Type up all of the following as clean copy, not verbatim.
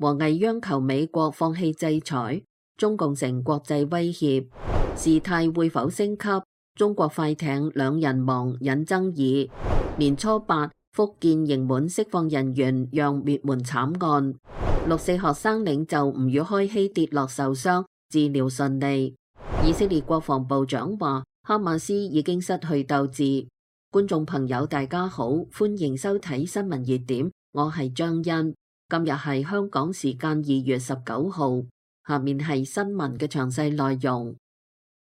王毅央求美國放棄制裁，中共成國際威脅，事態會否升級？中國快艇兩人亡引爭議。年初8，福建刑滿釋放人員讓滅門慘案。6四學生領袖吳宇開希跌落受傷，治療順利。以色列國防部長話，哈馬斯已經失去鬥志。觀眾朋友大家好，歡迎收睇新聞熱點，我係張欣。今日係香港時間2月19號，下面係新聞嘅詳細內容。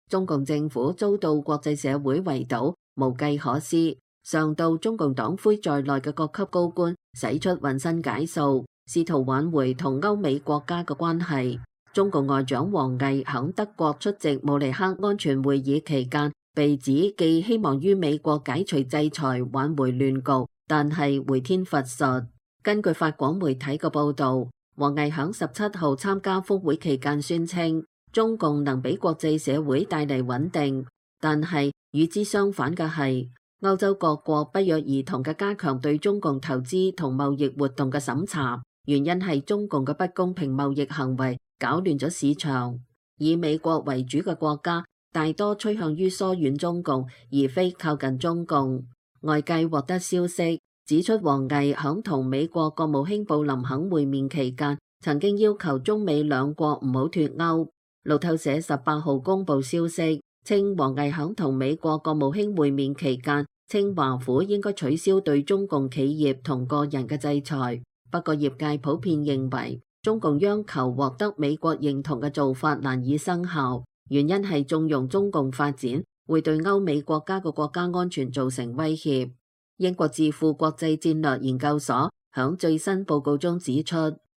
中共政府遭到國際社會圍堵，無計可施。上到中共黨魁在內嘅各級高官使出渾身解數，試圖挽回同歐美國家嘅關係。中共外長王毅響德國出席慕尼黑安全會議期間，被指既希望於美國解除制裁挽回亂局，但係回天乏術。根據法廣媒體嘅報導，王毅響17號參加峰會期間宣稱，中共能俾國際社會帶嚟穩定，但係與之相反嘅係，歐洲各國不約而同嘅加強對中共投資同貿易活動嘅審查，原因係中共嘅不公平貿易行為搞亂咗市場。以美國為主嘅國家大多趨向於疏遠中共，而非靠近中共。外界獲得消息指出，王毅響同美國國務卿布林肯會面期間，曾經要求中美兩國唔好脫歐。路透社18號公布消息，稱王毅響同美國國務卿會面期間，稱華府應該取消對中共企業同個人嘅制裁。不過業界普遍認為，中共央求獲得美國認同嘅做法難以生效，原因係縱容中共發展會對歐美國家嘅國家安全造成威脅。英國智庫國際戰略研究所響最新報告中指出，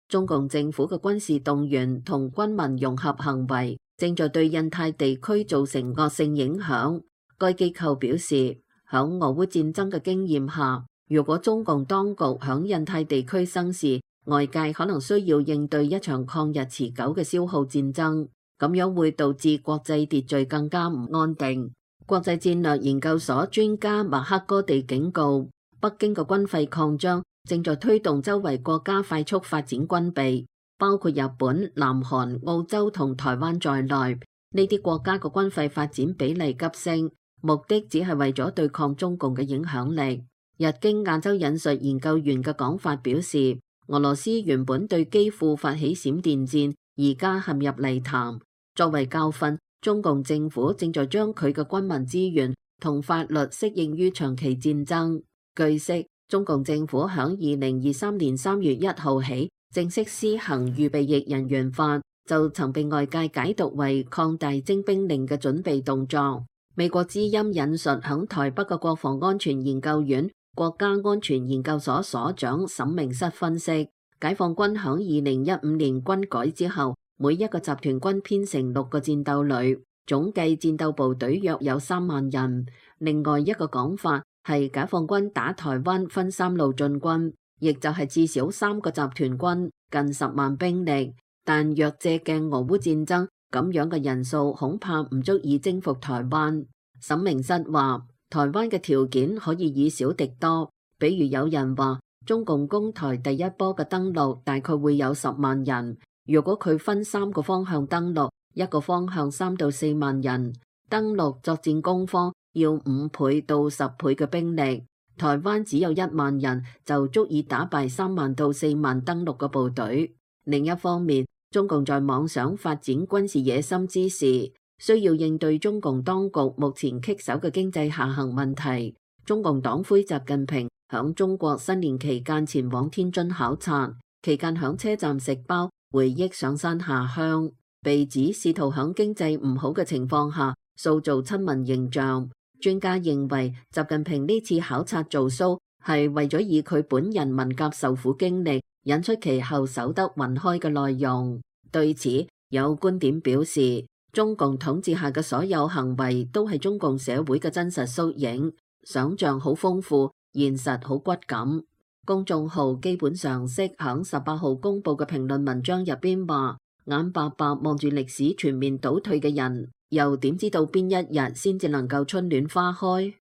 中共政府嘅軍事動員同軍民融合行為正在對印太地區造成惡性影響。該機構表示，響俄烏戰爭嘅經驗下，如果中共當局響印太地區生事，外界可能需要應對一場抗日持久嘅消耗戰爭，咁樣會導致國際秩序更加唔安定。國際戰略研究所專家麥克哥地警告，北京嘅軍費擴張正在推動周圍國家快速發展軍備，包括日本、南韓、澳洲同台灣在內。呢啲國家嘅軍費發展比例急升，目的只係為咗對抗中共嘅影響力。日經亞洲引述研究員嘅講法表示，俄羅斯原本對基輔發起閃電戰，而家陷入泥潭。作為教訓，中共政府正在將佢嘅軍民資源同法律適應於長期戰爭。據悉，中共政府響2023年3月1號起正式施行預備役人員法，就曾被外界解讀為擴大徵兵令嘅準備動作。美國之音引述響台北嘅國防安全研究院國家安全研究所所長沈明室分析，解放軍響2015年軍改之後，每一個集團軍編成6個戰鬥旅，總計戰鬥部隊約有3萬人。另外一個講法係解放軍打台灣分3路進軍，亦就係至少3個集團軍，近10萬兵力。但若借鏡俄烏戰爭，咁樣嘅人數恐怕唔足以征服台灣。沈明室話，台灣嘅條件可以以少敵多，比如有人話中共攻台第一波嘅登陸大概會有10萬人。如果佢分3個方向登陸，一個方向3到4萬人，登陸作戰攻方要5倍到10倍嘅兵力。台灣只有1萬人就足以打敗3萬到4萬登陸嘅部隊。另一方面，中共在妄想發展軍事野心之時，需要應對中共當局目前棘手嘅經濟下行問題。中共黨魁習近平響中國新年期間前往天津考察，期間響車站食包，回憶上山下鄉，被指試圖響經濟唔好嘅情況下塑造親民形象。專家認為，習近平呢次考察做 show 係為咗以佢本人文革受苦經歷引出其後守得雲開嘅內容。對此，有觀點表示，中共統治下嘅所有行為都係中共社會嘅真實縮影，想像好豐富，現實好骨感。公眾號基本常識響18號公佈嘅評論文章入邊話，眼白白望住歷史全面倒退嘅人，又點知道邊一日先至能夠春暖花開？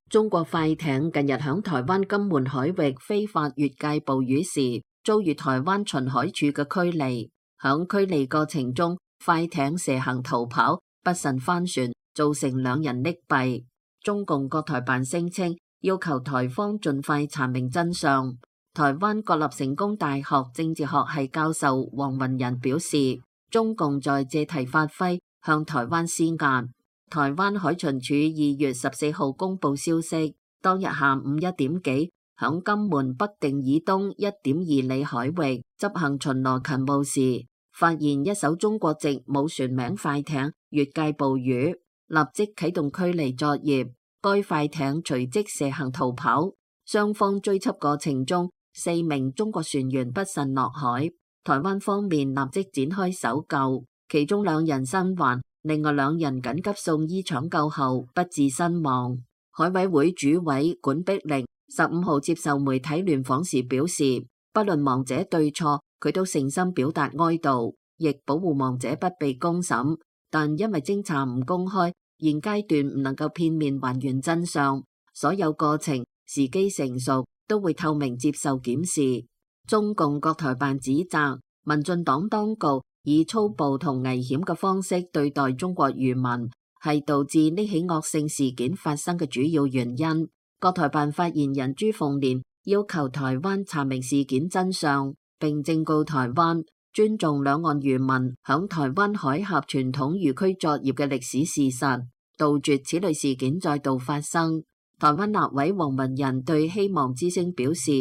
中國快艇近日響台灣金門海域非法越界捕魚時，遭遇台灣巡海處嘅驅離。響驅離過程中，快艇蛇行逃跑，不慎翻船，造成2人溺斃。中共國台辦聲稱，要求台方盡快查明真相。台灣國立成功大學政治學系教授黃雲仁表示，中共在借題發揮，向台灣施壓。台灣海巡署2月14號公布消息，當日下午1點幾，響金門北定以東1.2里海域執行巡邏勤務時，發現一艘中國籍冇船名快艇越界捕魚，立即啟動驅離作業。該快艇隨即蛇行逃跑，雙方追緝過程中，4名中國船員不慎落海，台灣方面立即展開搜救，其中2人生還，另外2人緊急送醫搶救後不治身亡。海委會主委管碧玲15號接受媒體聯訪時表示，不論亡者對錯，佢都誠心表達哀悼，亦保護亡者不被公審，但因為偵查唔公開，現階段唔能夠片面還原真相，所有過程時機成熟都會透明接受檢視。中共國台辦指責民進黨當局以粗暴同危險嘅方式對待中國漁民，係導致呢起惡性事件發生嘅主要原因。國台辦發言人朱鳳蓮要求台灣查明事件真相，並正告台灣尊重兩岸漁民響台灣海峽傳統漁區作業嘅歷史事實，杜絕此類事件再度發生。台灣立委黃文仁對希望之聲表示，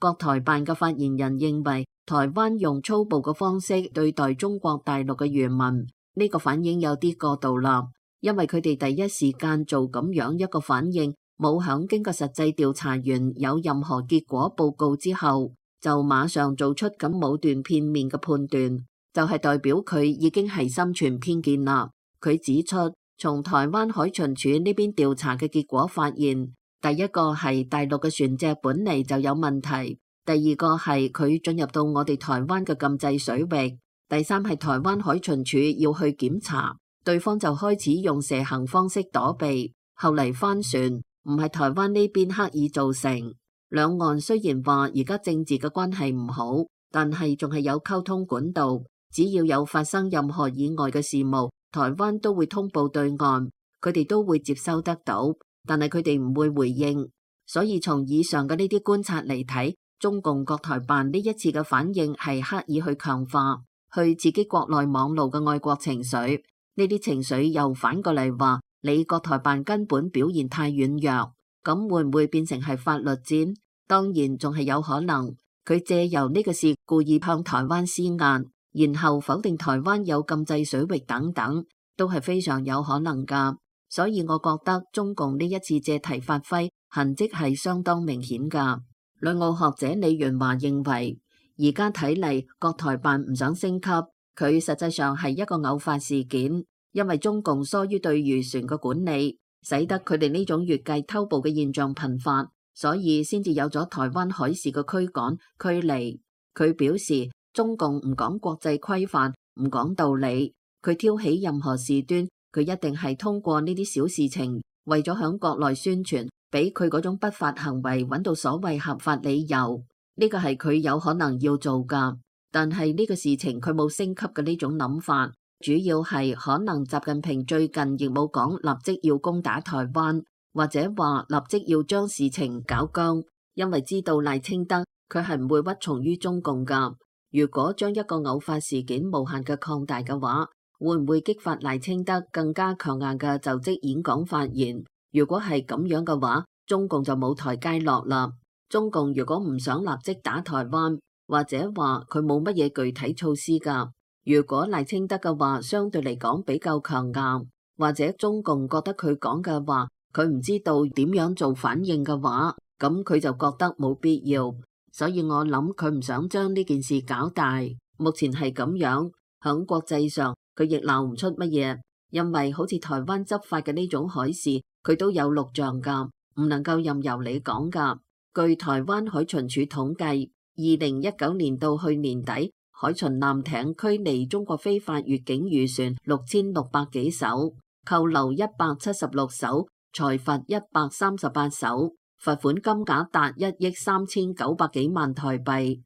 國台辦嘅發言人認為台灣用粗暴嘅方式對待中國大陸嘅漁民，呢個反應有啲過度啦，因為佢哋第一時間做咁樣一個反應，冇響經過實際調查完有任何結果報告之後，就馬上做出咁武斷片面嘅判斷，就係代表佢已經係心存偏見啦。佢指出，從台灣海巡署呢邊調查嘅結果發現，第一個係大陸嘅船隻本嚟就有問題，第二個係佢進入到我哋台灣嘅禁制水域，第三係台灣海巡署要去檢查，對方就開始用蛇行方式躲避，後嚟翻船，唔係台灣呢邊刻意造成。兩岸雖然話而家政治嘅關係唔好，但係仲係有溝通管道，只要有發生任何意外嘅事務，台灣都會通報對岸，佢哋都會接收得到，但係佢哋唔會回應。所以從以上嘅呢啲觀察嚟睇，中共國台辦呢一次嘅反應係刻意去強化去刺激國內網路嘅愛國情緒，呢啲情緒又反過嚟話你國台辦根本表現太軟弱，咁會唔會變成係法律戰？當然仲係有可能，佢借由呢個事故意向台灣施壓，然後否定台灣有禁制水域等等，都係非常有可能㗎。所以我覺得中共呢一次借題發揮痕跡係相當明顯㗎。旅澳學者李元華認為，而家睇嚟國台辦唔想升級，佢實際上係一個偶發事件，因為中共疏於對漁船嘅管理，使得佢哋呢種越界偷捕嘅現象頻發，所以先至有咗台灣海事嘅驅趕驅離。佢表示，中共唔講國際規範，唔講道理，佢挑起任何事端，佢一定係通過呢啲小事情，為咗響國內宣傳，俾佢嗰種不法行為揾到所謂合法理由，呢個係佢有可能要做㗎。但係呢個事情佢冇升級嘅呢種諗法，主要係可能習近平最近亦冇講立即要攻打台灣，或者話立即要將事情搞僵，因為知道賴清德佢係唔會屈從於中共㗎。如果將一個偶發事件無限嘅擴大嘅話，會唔會激發賴清德更加強硬嘅就職演講發言？如果係咁樣嘅話，中共就冇台階落啦。中共如果唔想立即打台灣，或者話佢冇乜嘢具體措施㗎。如果賴清德嘅話相對嚟講比較強硬，或者中共覺得佢講嘅話佢唔知道點樣做反應嘅話，咁佢就覺得冇必要。所以我諗佢唔想將呢件事搞大。目前係咁樣，響國際上佢亦鬧唔出乜嘢，因為好似台灣執法嘅呢種海事，佢都有錄像㗎，唔能夠任由你講㗎。據台灣海巡署統計，2019年到去年底，海巡艦艇驅離中國非法越境漁船6600幾艘，扣留176艘，裁罰138艘，罰款金額達1億3900幾萬台幣。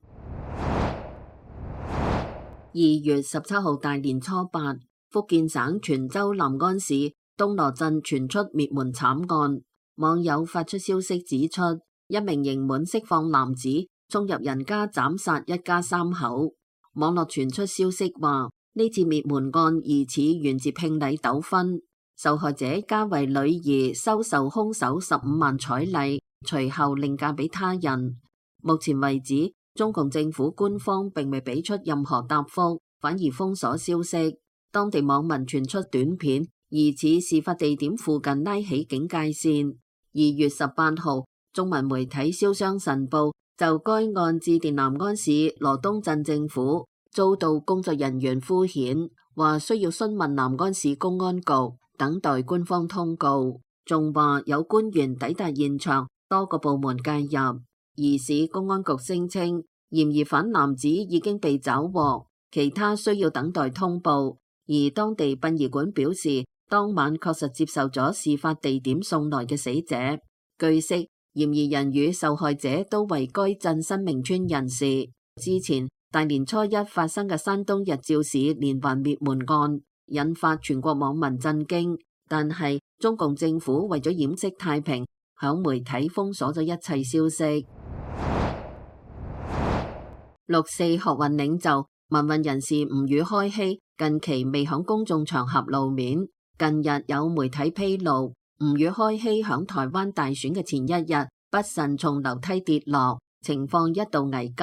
2月17號大年初8，福建省泉州南安市東螺鎮傳出滅門慘案。網友發出消息指出，一名刑滿釋放男子衝入人家斬殺一家3口。網絡傳出消息話，呢次滅門案疑似源自聘禮糾紛，受害者家為女兒收受兇手15萬彩禮，隨後另嫁俾他人。目前為止，中共政府官方並未俾出任何答覆，反而封鎖消息。當地網民傳出短片，疑似事發地點附近拉起警戒線。2月18號，中文媒體瀟湘晨報就該案致電南安市羅東鎮政府，遭到工作人員敷衍，話需要詢問南安市公安局，等待官方通告。仲話有官員抵達現場，多個部門介入。而市公安局聲稱，嫌疑犯男子已經被抓獲，其他需要等待通報。而當地殯儀館表示，當晚確實接受咗事發地點送來嘅死者。據悉，嫌疑人與受害者都為該鎮新明村人士。之前大年初一發生嘅山東日照市連環滅門案，引發全國網民震驚。但係中共政府為咗掩飾太平，響媒體封鎖咗一切消息。6·4學運領袖、民運人士吳宇開希近期未響公眾場合露面。近日有媒體披露，吳宇開希響台灣大選嘅前一日不慎從樓梯跌落，情況一度危急。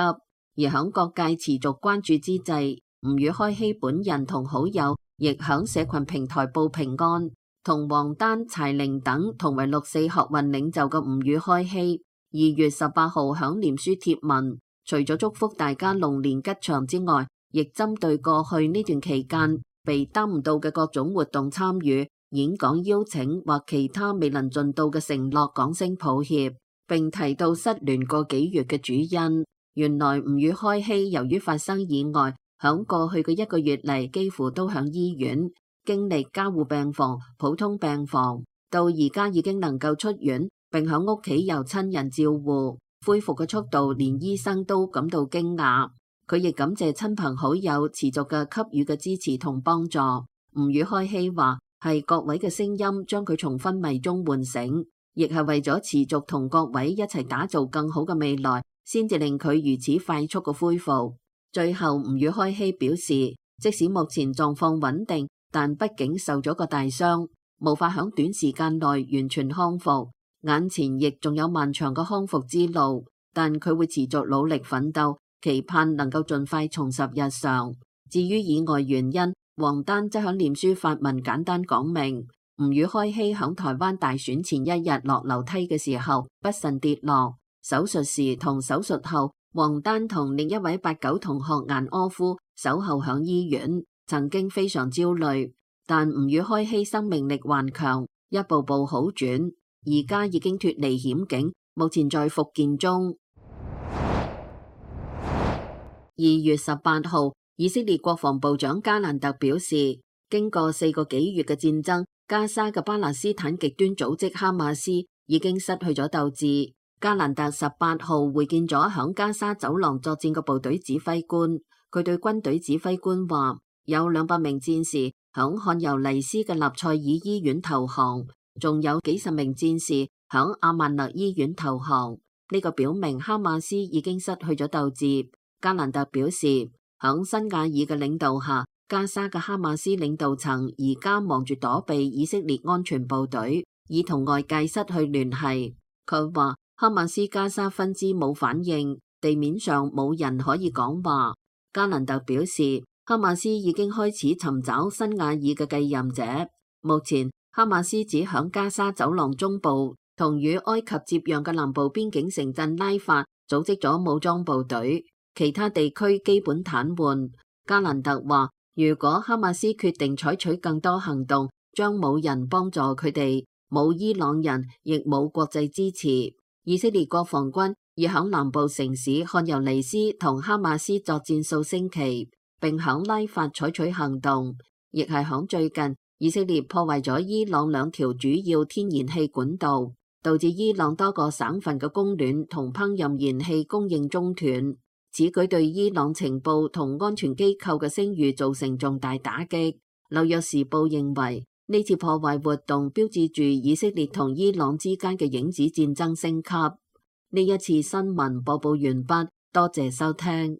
而響各界持續關注之際，吳宇開希本人同好友亦響社群平台報平安。同王丹、柴玲等同為6·4學運領袖嘅吳宇開希2月18號響臉書貼文，除咗祝福大家龍年吉祥之外，亦針對過去呢段期間被耽誤到嘅各種活動參與、演講邀請或其他未能盡到嘅承諾講聲抱歉，並提到失聯個幾月嘅主因。原來吳宇開希由於發生意外，響過去嘅1個月嚟幾乎都響醫院，經歷加護病房、普通病房，到而家已經能夠出院，並響屋企由親人照顧，恢復嘅速度連醫生都感到驚訝。佢亦感謝親朋好友持續嘅給予嘅支持同幫助。吳宇開希話係各位嘅聲音將佢從昏迷中喚醒，亦係為咗持續同各位一齊打造更好嘅未來，先至令佢如此快速嘅恢復。最後吳宇開希表示，即使目前狀況穩定，但畢竟受咗個大傷，無法響短時間內完全康復，眼前亦仲有漫長嘅康復之路，但佢會持續努力奮鬥，期盼能夠盡快重拾日常。至於意外原因，王丹則響臉書發文簡單講明，吳宇開希響台灣大選前一日落樓梯嘅時候不慎跌落，手術時同手術後，王丹同另一位89同學顏柯夫守候響醫院，曾經非常焦慮，但吳宇開希生命力頑強，一步步好轉，而家已經脫離險境，目前在復健中。2月18號，以色列國防部長加蘭特表示，經過4個幾月嘅戰爭，加沙嘅巴勒斯坦極端組織哈馬斯已經失去咗鬥志。加蘭特18號會見咗響加沙走廊作戰嘅部隊指揮官，佢對軍隊指揮官話，有200名戰士響漢尤尼斯嘅納賽爾醫院投降，仲有幾十名戰士響阿曼勒醫院投降。呢個表明哈馬斯已經失去咗鬥志。加蘭特表示，響辛瓦爾嘅領導下，加沙嘅哈馬斯領導層而家忙住躲避以色列安全部隊，已同外界失去聯繫。佢話哈馬斯加沙分支冇反應，地面上冇人可以講話。加蘭特表示，哈馬斯已經開始尋找辛瓦爾嘅繼任者。目前哈馬斯只響加沙走廊中部同與埃及接壤嘅南部邊境城鎮拉法組織咗武裝部隊，其他地區基本癱瘓。加蘭特話，如果哈馬斯決定採取更多行動，將冇人幫助佢哋，冇伊朗人，亦冇國際支持。以色列國防軍已響南部城市漢尤尼斯同哈馬斯作戰數星期，並響拉法採取行動，亦係響最近以色列破壞咗伊朗兩條主要天然氣管道，導致伊朗多個省份嘅供暖同烹飪燃氣供應中斷。此舉對伊朗情報同安全機構嘅聲譽造成重大打擊。紐約時報認為，呢次破壞活動標誌住以色列同伊朗之間嘅影子戰爭升級。呢一次新聞播報完畢，多謝收聽。